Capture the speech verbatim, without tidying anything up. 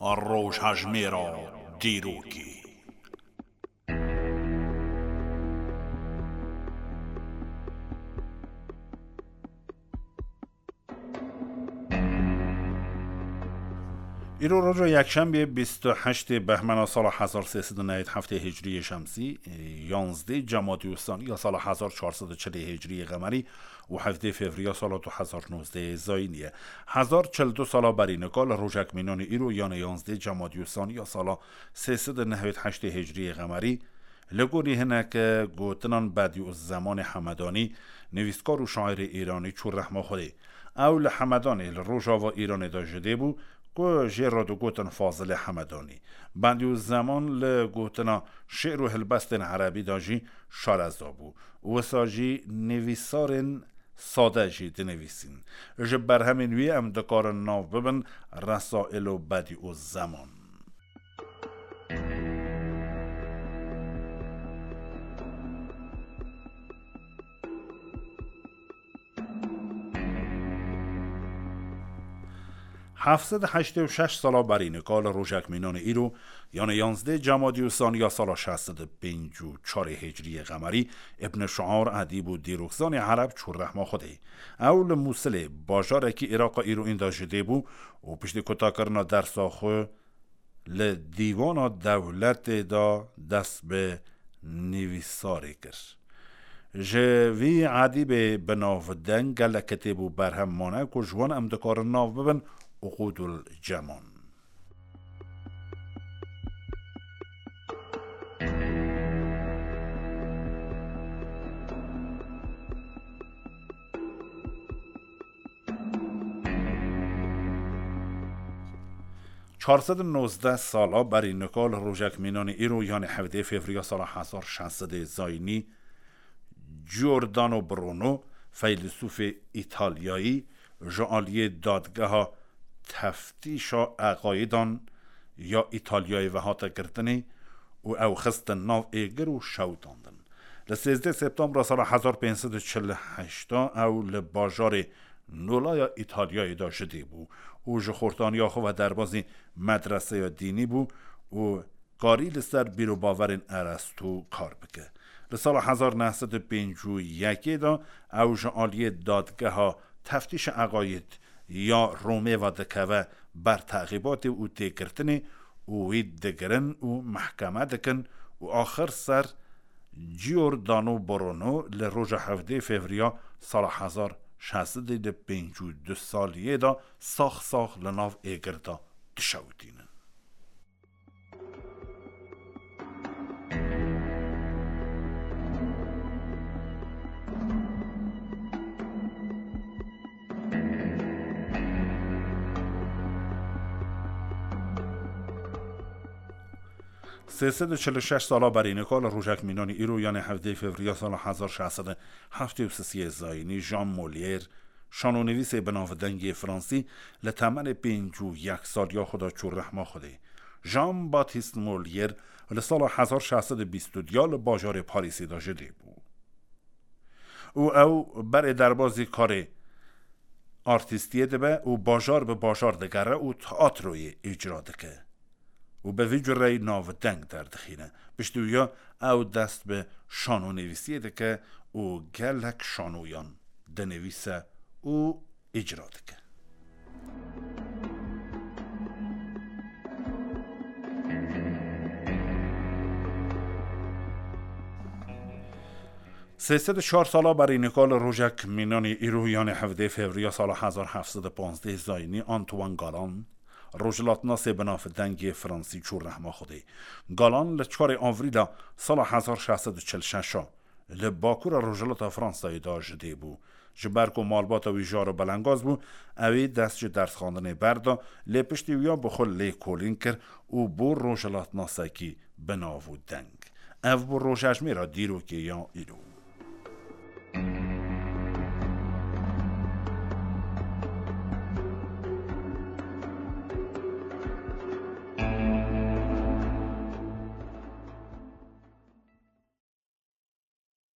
Rojhejmêra dîrokê. Îro roja yekşembê bîst û heştê behmena sala hezar sê sed û newêd heftê hicriyê şemsî, yanzdê cemadî û sanî ya sala hezar çar sed û çilê hicriyê qemerî û hevdê fevriya sala du hezar nozdehê zayînî ye. Hezar çil du sala berî nika li rojek mînanê îro, yanê yanzdê cemadî û sanî ya sala sê sed û newêd heştê hicriyê qemerî, li gorî hinek gotinan Bedî û Zemanê Hemedanî, nivîskar û şairê Îranî çû rehma Xwedê. Ew li Hemedanê li rojava Îranê de ji dê bû, ku jê re digotin Fazilê Hemedanî. Bedî û Zeman li gotina şê'r û hilbestên erebî de jî şareza bû. Wisa jî nivîsarên sade jî dinivîsîn. Ji berhemên wî em dikarin nav bibin Resaîlo Bedî û Zeman. Heft sed û heştê û şeş sala berî nika li rojek mînanê îro, yanê yanzdê cemadî û sanî ya sala şeş sed û pêncî û çarê hicriyê qemerî, Îbn Şiar, edîb û dîrokzanê ereb çû rehma Xwedê. Ew li Mûsilê, bajarekî Îraqa îroyîn de ji dê bû û piştî kutakirina dersa xwe, li dîwana dewletê de dest bi nivîsarê kir. Ji vî edîbê bi navdeng gelek kitêb û berhem mane ku ji wan em dikarin nav bibin Uqûdul Ceman. Çar sed û nozdeh sala berî nika li rojek mînanê îro, yanê hevdê fevriya sala hezar şeş sedê zayînî, Giordano Bruno, feylesûfê Îtalyayî, ji aliyê dadgeha teftîşa eqayîdan ya Îtalyayê ve hate girtinê û ew xistin nav êgir û şewitandin. Li sêzdeh Septembra sala hezar pênc sed û çil û heşt ew li bajarê Nolaya Îtalyayê de ji dê bû û ji xortaniya xwe ve derbazî medreseya dînî bû û karî li ser bîrobaverên Erasto kar bike. Li sala hezar neh sed û pêncî û yekê de ew ji aliyê dadgeha teftîşa eqayîd ya Romê ve dikeve ber teqîbatê û têgirtinê û wî digirin û mehkeme dikin û axir ser Giordano Bruno li roja hevdê Fevriya sala hezar şeş sed û pêncî û du saliyê de sax sax li nav êgir de dişewitînin. Sê sed û çil û şeş sala berî nika li rojek mînanî îro, yanê hevdê Fevriya sala hezar şeş sed û heftê û sisiyê zayînî, Jean Molière, şanonivîsê bi navdengê fransî, li temenê pêncî û yek saliya xwe de çû rehma Xwedê. Jean Baptiste Molière li sala hezar şeş sed û bîst û du ya li bajarê Parîsê de ji dê bû û ew berê derbazî karê artîstiyê dibe û bajar bi bajar digere û teatroyê îcra dike û bi vî cureyî navdeng derdixîne. Piştî wiya ew dest bi şanonivîsiyê dike û gelek şanoyan dinivîse û îcra dike. Sê sed û çar sala berî nika li rojek mînanî îro, yanê hevdê Fevriya sala hezar heft sed û panzdeh zayînî, Antoine Galan, rojhilatnasê bi navdengê fransî çû rehma Xwedê. Galan li çarê Avrîla sala hezar şeş sed û çil û şeş a li bakura rojhilata Fransayê de ji dê bû. Ji ber ku malbata wî jar û belengaz bû, ew ê dest ji dersxandinê berda, lê piştî wiya bi xwe lêkolîn kir û bû rojhilatnasekî bi nav û deng. Ev bû rojhejmêra dîrokê ya îro.